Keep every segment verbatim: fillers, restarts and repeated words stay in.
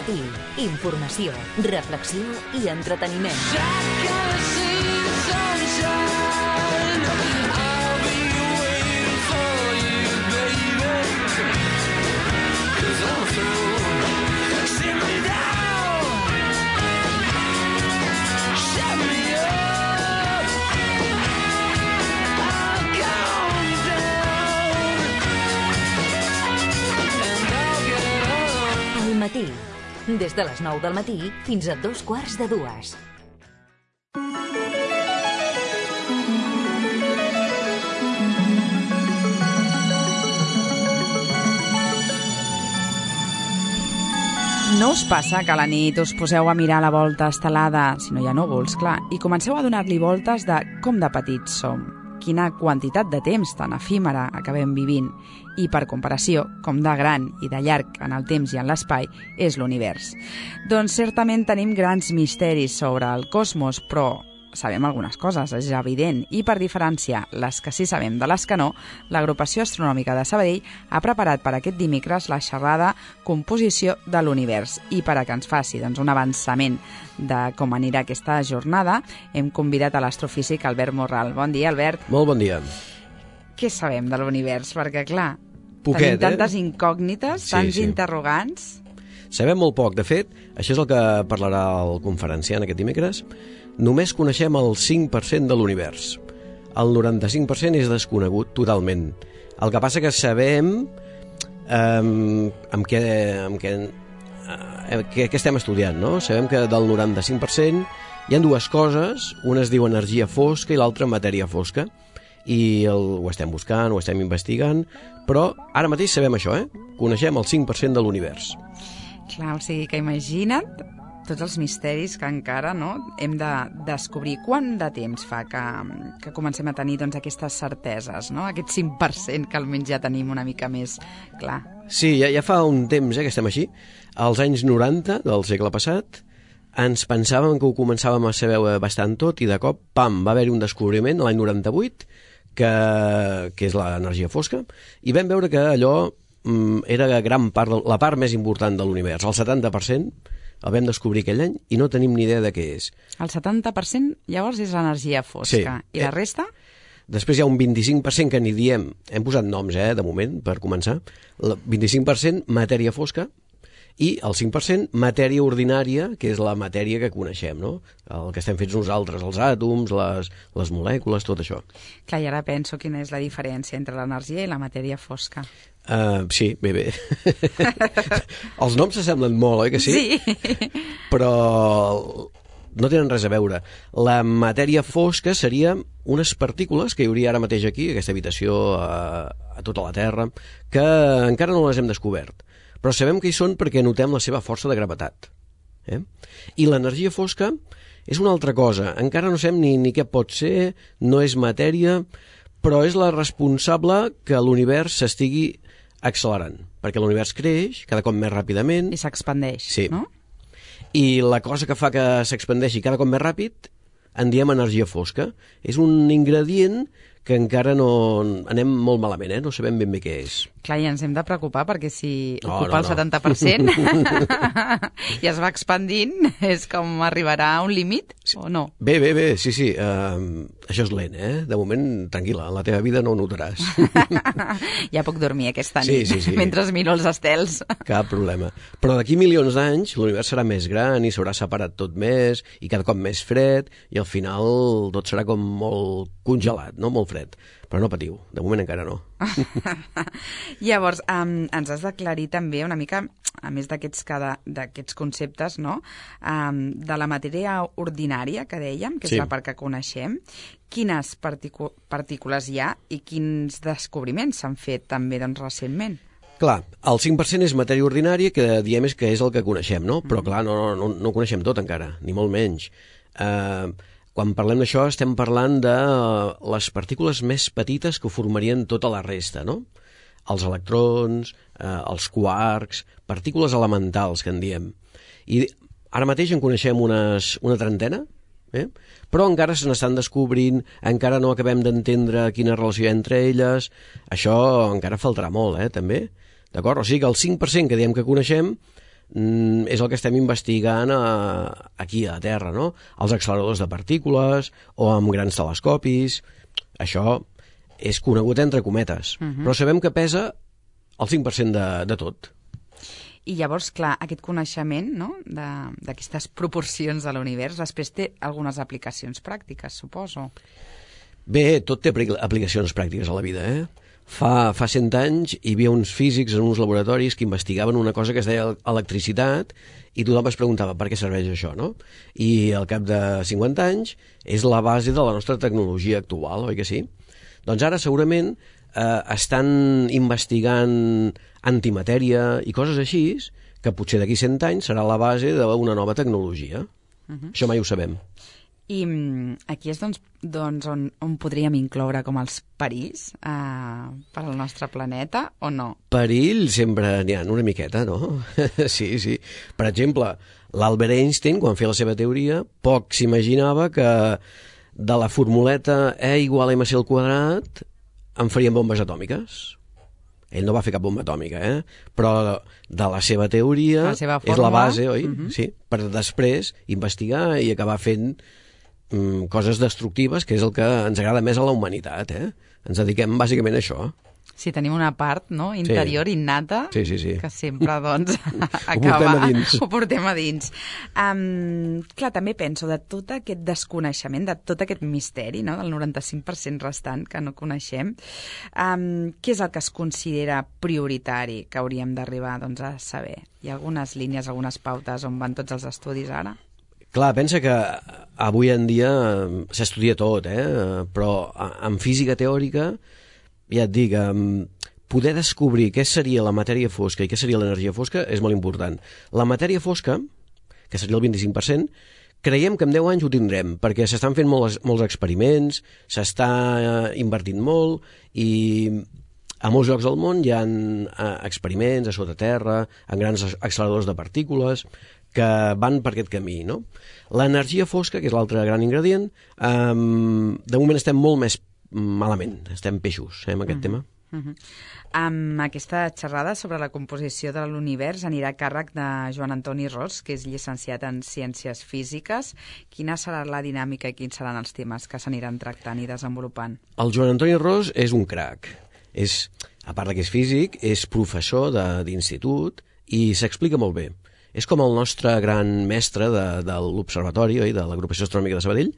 matí, informació, reflexió i entreteniment. Matí. Des de les nou del matí fins a dos quarts de dues. No us passa que a la nit us poseu a mirar la volta estelada, si no hi ha núvols, clar, i comenceu a donar-li voltes de com de petits som? Quina quantitat de temps tan efímera acabem vivint i, per comparació, com de gran i de llarg en el temps i en l'espai és l'univers. Doncs certament tenim grans misteris sobre el cosmos, però sabem algunes coses, és evident, i per diferenciar les que sí sabem de les que no, l'Agrupació Astronòmica de Sabadell ha preparat per aquest dimecres la xerrada Composició de l'Univers. I per a que ens faci doncs, un avançament de com anirà aquesta jornada, hem convidat a l'astrofísic Albert Morral. Bon dia, Albert. Molt bon dia. Què sabem de l'univers? Perquè, clar, Poquet, tenim tantes eh? incògnites, sí, tants sí. interrogants... Sabem molt poc. De fet, això és el que parlarà el conferenciant aquest dimecres. Només coneixem el cinc per cent de l'univers. El noranta-cinc per cent és desconegut totalment. El que passa que sabem eh, amb què, amb què, eh, què, què estem estudiant, no? Sabem que del noranta-cinc per cent hi ha dues coses. Una es diu energia fosca i l'altra matèria fosca. I el, ho estem buscant, ho estem investigant, però ara mateix sabem això, eh? Coneixem el cinc per cent de l'univers. Clar, o sigui que imagina't tots els misteris que encara no, hem de descobrir. Quant de temps fa que, que comencem a tenir doncs, aquestes certeses, no? Aquest cinc per cent que almenys ja tenim una mica més clar. Sí, ja, ja fa un temps eh, que estem així. Als anys noranta del segle passat ens pensàvem que ho començàvem a saber bastant tot i de cop, pam, va haver-hi un descobriment l'any noranta-vuit que, que és l'energia fosca i vam veure que allò era gran part, la part més important de l'univers. El setanta per cent el vam descobrir aquell any i no tenim ni idea de què és. El setanta per cent llavors és l'energia fosca. Sí. I la resta? Després hi ha un vint-i-cinc per cent que ni diem, hem posat noms, eh, de moment, per començar. El vint-i-cinc per cent matèria fosca i el cinc per cent matèria ordinària, que és la matèria que coneixem, no? El que estem fets nosaltres, els àtoms, les, les molècules, tot això. Clar, i ara penso quina és la diferència entre l'energia i la matèria fosca. Uh, sí, bé, bé. Els noms s'assemblen molt, oi que sí? Sí. Però no tenen res a veure. La matèria fosca seria unes partícules que hi hauria ara mateix aquí, a aquesta habitació, a, a tota la Terra, que encara no les hem descobert. Però sabem que hi són perquè notem la seva força de gravetat. Eh? I l'energia fosca és una altra cosa. Encara no sabem ni, ni què pot ser, no és matèria, però és la responsable que l'univers s'estigui accelerant, perquè l'univers creix cada cop més ràpidament. I s'expandeix, sí. No? I la cosa que fa que s'expandeixi cada cop més ràpid en diem energia fosca. És un ingredient que encara no anem molt malament, eh? No sabem ben bé què és. Clar, i ens hem de preocupar perquè si no, ocupa no, el setanta per cent i es va expandint, és com arribarà a un límit o no? Bé, bé, bé, sí, sí. Uh, això és lent, eh? De moment, tranquil·la, en la teva vida no ho notaràs. Ja puc dormir aquesta sí, nit, sí, sí. mentre miro els estels. Cap problema. Però d'aquí milions d'anys l'univers serà més gran i s'haurà separat tot més i cada cop més fred i al final tot serà com molt congelat, no? Molt fred. Però no patiu, de moment encara no. Llavors, um, ens has d'aclarir també una mica, a més d'aquests d'aquests conceptes, no? Um, de la matèria ordinària, que dèiem, que és sí. la part que coneixem, quines particu partícules hi ha i quins descobriments s'han fet també doncs, recentment? Clar, el cinc per cent és matèria ordinària, que diem és que és el que coneixem, no? Però clar, no, no, no ho coneixem tot encara, ni molt menys. Eh... Uh, Quan parlem d'això estem parlant de les partícules més petites que formarien tota la resta, no? Els electrons, eh, els quarks, partícules elementals, que en diem. I ara mateix en coneixem unes, una trentena, eh? Però encara se n'estan descobrint, encara no acabem d'entendre quina relació hi ha entre elles. Això encara faltarà molt, eh, també. D'acord? O sigui que el cinc per cent que diem que coneixem mm, és el que estem investigant a, aquí a la Terra, no? Els acceleradors de partícules o amb grans telescopis. Això és conegut entre cometes, uh-huh. però sabem que pesa el cinc per cent de, de tot. I llavors, clar, aquest coneixement, no?, d'aquestes proporcions de l'univers, després té algunes aplicacions pràctiques, suposo. Bé, tot té aplicacions pràctiques a la vida, eh? Fa, fa cent anys hi havia uns físics en uns laboratoris que investigaven una cosa que es deia electricitat i tothom es preguntava per què serveix això, no? I al cap de cinquanta anys és la base de la nostra tecnologia actual, oi que sí? Doncs ara segurament eh, estan investigant antimatèria i coses així que potser d'aquí cent anys serà la base d'una nova tecnologia. Uh-huh. Això mai ho sabem. I aquí és doncs, doncs on, on podríem incloure com els perills eh, per al nostre planeta o no? Perill sempre n'hi ha una miqueta, no? Sí, sí. Per exemple, l'Albert Einstein, quan feia la seva teoria, poc s'imaginava que de la formuleta E igual a mc al quadrat en farien bombes atòmiques. Ell no va fer cap bomba atòmica, eh? Però de la seva teoria la seva és la base, oi? Uh-huh. Sí, per després investigar i acabar fent mm, coses destructives, que és el que ens agrada més a la humanitat, eh? Ens dediquem bàsicament a això. Sí, tenim una part, no?, interior, sí. innata, sí, sí, sí. que sempre, doncs, acaba... Ho portem a dins. Ho portem a dins. Um, clar, també penso de tot aquest desconeixement, de tot aquest misteri, no?, del noranta-cinc per cent restant que no coneixem, um, què és el que es considera prioritari que hauríem d'arribar, doncs, a saber? Hi ha algunes línies, algunes pautes on van tots els estudis ara? Clar, pensa que avui en dia s'estudia tot, eh? Però en física teòrica, ja et dic, poder descobrir què seria la matèria fosca i què seria l'energia fosca és molt important. La matèria fosca, que seria el vint-i-cinc per cent, creiem que en deu anys ho tindrem, perquè s'estan fent molts, molts experiments, s'està invertint molt i a molts llocs del món hi ha experiments a sota terra, en grans acceleradors de partícules, que van per aquest camí, no? L'energia fosca, que és l'altre gran ingredient, eh, de moment estem molt més malament, estem peixos, eh, amb aquest uh-huh. tema. Uh-huh. Um, aquesta xerrada sobre la composició de l'univers anirà a càrrec de Joan Antoni Ros, que és llicenciat en Ciències Físiques. Quina serà la dinàmica i quins seran els temes que s'aniran tractant i desenvolupant? El Joan Antoni Ros és un crac. És, a part que és físic, és professor d'institut i s'explica molt bé. És com el nostre gran mestre de, de l'Observatori, oi, de l'Agrupació Astronòmica de Sabadell,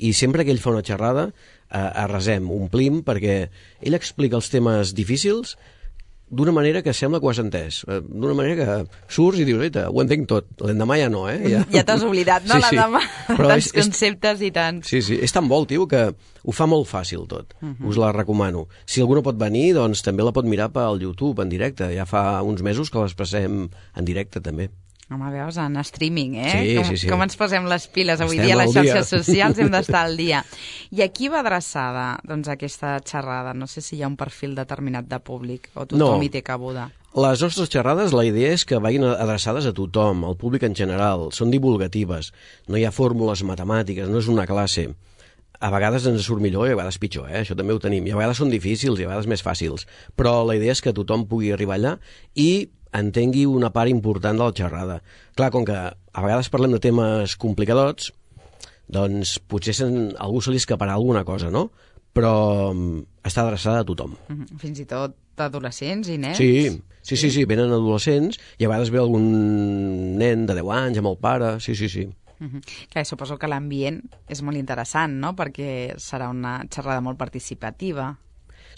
i sempre que ell fa una xerrada eh, arrasem, omplim, perquè ell explica els temes difícils d'una manera que sembla que ho has entès. D'una manera que surts i dius, eita, ho entenc tot. L'endemà ja no, eh? Ja, ja t'has oblidat, no? Sí, l'endemà, sí. Tants és, conceptes i tants. Sí, sí, és tan bo el tio que ho fa molt fàcil tot. Uh-huh. Us la recomano. Si algú no pot venir, doncs també la pot mirar pel YouTube en directe. Ja fa uns mesos que l'expressem en directe també. Home, veus, en streaming, eh? Sí, com, sí, sí. Com ens posem les piles avui Estem dia a les xarxes dia. socials, hem d'estar al dia. I a qui va adreçada, doncs, aquesta xerrada? No sé si hi ha un perfil determinat de públic o tothom no. hi té cabuda. Les nostres xerrades, la idea és que vagin adreçades a tothom, al públic en general. Són divulgatives, no hi ha fórmules matemàtiques, no és una classe. A vegades ens surt millor i a vegades pitjor, eh? Això també ho tenim. I a vegades són difícils i a vegades més fàcils. Però la idea és que tothom pugui arribar allà i entengui una part important de la xerrada. Clar, com que a vegades parlem de temes complicadots, doncs potser sen, algú se li escaparà alguna cosa, no? Però està adreçada a tothom. Mm-hmm. Fins i tot adolescents i nens? Sí, sí, sí, sí, venen adolescents i a vegades ve algun nen de deu anys amb el pare, sí, sí, sí. Mm-hmm. Clar, suposo que l'ambient és molt interessant, no?, perquè serà una xerrada molt participativa.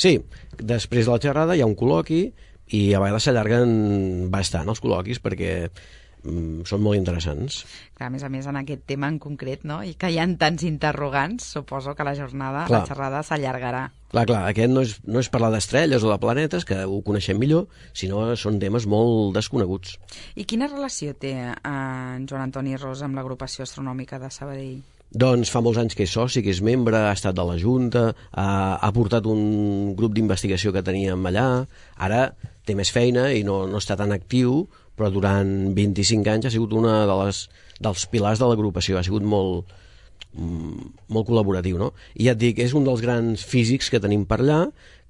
Sí, després de la xerrada hi ha un col·loqui i a vegades s'allarguen bastant els col·loquis perquè mm, són molt interessants. Clar, a més a més, en aquest tema en concret, no?, i que hi ha tants interrogants, suposo que la jornada, clar, la xerrada s'allargarà. Clar, clar, aquest no és, no és parlar d'estrelles o de planetes, que ho coneixem millor, sinó són temes molt desconeguts. I quina relació té eh, en Joan Antoni Ros amb l'Agrupació Astronòmica de Sabadell? Doncs fa molts anys que és soci, que és membre, ha estat de la Junta, ha, ha portat un grup d'investigació que teníem allà, ara té més feina i no, no està tan actiu, però durant vint-i-cinc anys ha sigut una de les, dels pilars de l'agrupació, ha sigut molt, molt col·laboratiu, no? I ja et dic, és un dels grans físics que tenim per allà,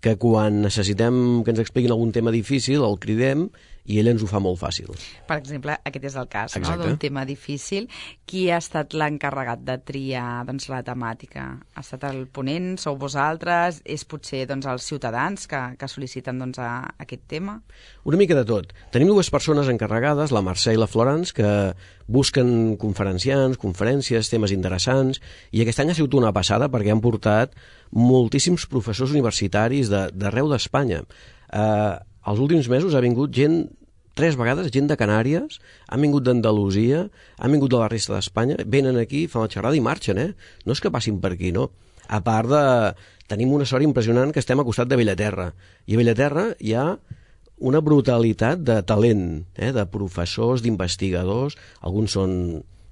que quan necessitem que ens expliquin algun tema difícil el cridem i ell ens ho fa molt fàcil. Per exemple, aquest és el cas, no? Exacte. D'un tema difícil. Qui ha estat l'encarregat de triar doncs, la temàtica? Ha estat el ponent? Sou vosaltres? És potser doncs, els ciutadans que, que sol·liciten doncs, a, a aquest tema? Una mica de tot. Tenim dues persones encarregades, la Mercè i la Florence, que busquen conferenciants, conferències, temes interessants, i aquest any ha sigut una passada perquè han portat moltíssims professors universitaris de, d'arreu d'Espanya. Eh, els últims mesos ha vingut gent, tres vegades, gent de Canàries, han vingut d'Andalusia, han vingut de la resta d'Espanya, venen aquí, fan la xerrada i marxen, eh? No és que passin per aquí, no. A part de... Tenim una sort impressionant que estem a costat de Bellaterra, i a Bellaterra hi ha una brutalitat de talent, eh? De professors, d'investigadors, alguns són,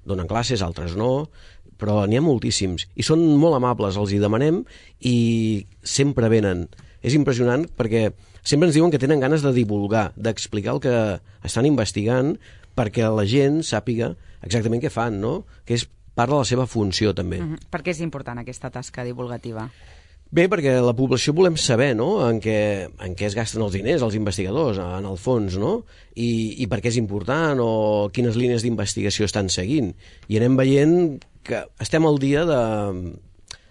donen classes, altres no, però n'hi ha moltíssims, i són molt amables, els hi demanem, i sempre venen. És impressionant perquè sempre ens diuen que tenen ganes de divulgar, d'explicar el que estan investigant perquè la gent sàpiga exactament què fan, no? Que és part de la seva funció, també. Mm-hmm. Per què és important aquesta tasca divulgativa? Bé, perquè la població volem saber, no?, en què, en què es gasten els diners, els investigadors, en el fons, no?, i, i per què és important o quines línies d'investigació estan seguint. I anem veient que estem al dia de,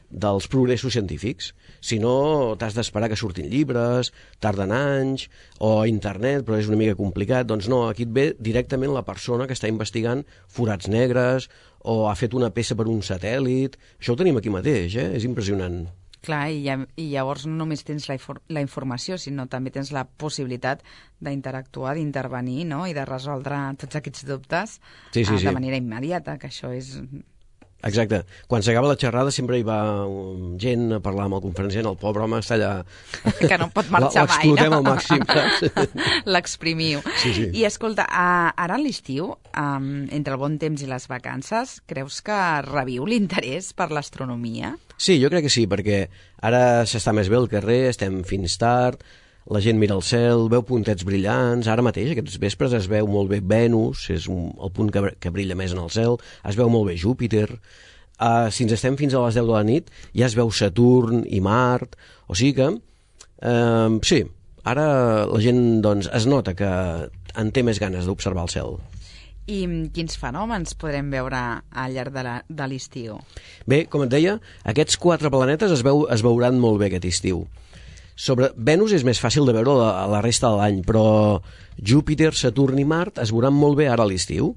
dels progressos científics. Si no, t'has d'esperar que surtin llibres, tarden anys, o internet, però és una mica complicat. Doncs no, aquí et ve directament la persona que està investigant forats negres o ha fet una peça per un satèl·lit. Això ho tenim aquí mateix, eh? És impressionant. Clar, i, i llavors no només tens la, la informació, sinó també tens la possibilitat d'interactuar, d'intervenir, no?, i de resoldre tots aquests dubtes sí, sí, de sí. manera immediata, que això és... Exacte. Quan s'acaba la xerrada sempre hi va gent a parlar amb el conferenciant, el pobre home està allà... Que no pot marxar mai, no? L'explotem al màxim. L'exprimiu. Sí, sí. I escolta, ara a l'estiu, um, entre el bon temps i les vacances, creus que reviu l'interès per l'astronomia? Sí, jo crec que sí, perquè ara s'està més bé al carrer, estem fins tard, la gent mira el cel, veu puntets brillants, ara mateix, aquests vespres, es veu molt bé Venus, és un, el punt que, que brilla més en el cel, es veu molt bé Júpiter, uh, si ens estem fins a les deu de la nit, ja es veu Saturn i Mart, o sigui que, uh, sí, ara la gent doncs, es nota que en té més ganes d'observar el cel. I quins fenòmens podrem veure al llarg de, la, de l'estiu? Bé, com et deia, aquests quatre planetes es, veu, es veuran molt bé aquest estiu. Sobre Venus és més fàcil de veure la, la resta de l'any, però Júpiter, Saturn i Mart es veuran molt bé ara a l'estiu.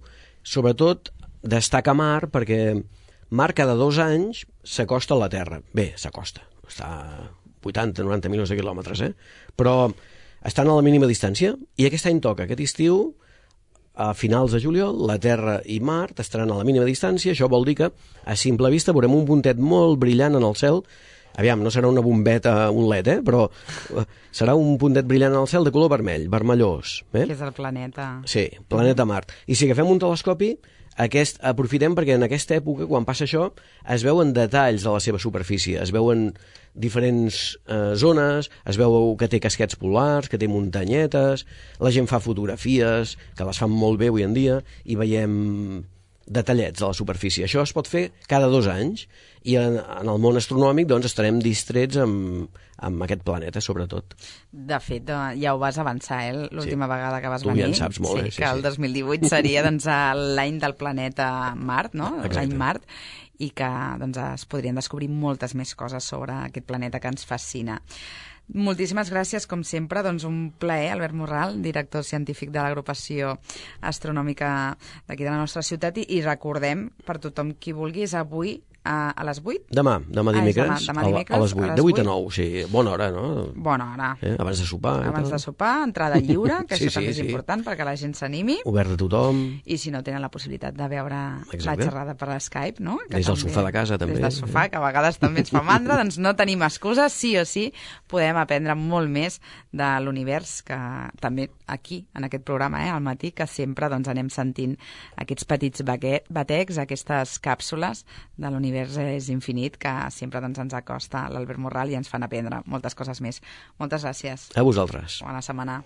Sobretot destaca Mart perquè Mart cada dos anys s'acosta a la Terra. Bé, s'acosta, està a vuitanta a noranta milions de quilòmetres, eh? Però estan a la mínima distància i aquest any toca, aquest estiu, a finals de juliol, la Terra i Mart estaran a la mínima distància. Això vol dir que a simple vista veurem un puntet molt brillant en el cel. Aviam, no serà una bombeta, un led, eh? Però serà un puntet brillant en el cel de color vermell, vermellós. Eh? Que és el planeta. Sí, planeta Mart. I si agafem un telescopi, aquest, aprofitem perquè en aquesta època, quan passa això, es veuen detalls de la seva superfície, es veuen diferents eh, zones, es veu que té casquets polars, que té muntanyetes, la gent fa fotografies, que les fan molt bé avui en dia, i veiem detallets de la superfície. Això es pot fer cada dos anys i en, en el món astronòmic doncs, estarem distrets amb, amb aquest planeta, sobretot. De fet, ja ho vas avançar, eh? L'última sí. vegada que vas tu venir. Tu ja en saps molt, sí, eh? Sí, que el dos mil divuit seria doncs, l'any del planeta Mart, no? L'any Mart, i que doncs, es podrien descobrir moltes més coses sobre aquest planeta que ens fascina. Moltíssimes gràcies, com sempre. Doncs un plaer, Albert Morral, director científic de l'agrupació astronòmica d'aquí de la nostra ciutat, i, i recordem, per tothom qui vulgui, és avui a, a les vuit? Demà, demà dimecres, ah, demà, demà dimecres a, a les vuit, de vuit a nou, sí, bona hora, no? Bona hora. Eh? Abans de sopar. Abans de sopar, entrada lliure, que sí, això també sí, és sí. important perquè la gent s'animi. Obert a tothom. I si no tenen la possibilitat de veure Exacte. la xerrada per Skype, no? Que des del sofà de casa, també. Des del sofà, que a vegades també ens fa mandra, doncs no tenim excuses, sí o sí podem aprendre molt més de l'univers, que també aquí, en aquest programa, eh, al matí, que sempre doncs, anem sentint aquests petits batecs, aquestes càpsules de l'univers és infinit, que sempre doncs, ens acosta l'Albert Morral i ens fan aprendre moltes coses més. Moltes gràcies. A vosaltres. Bona setmana.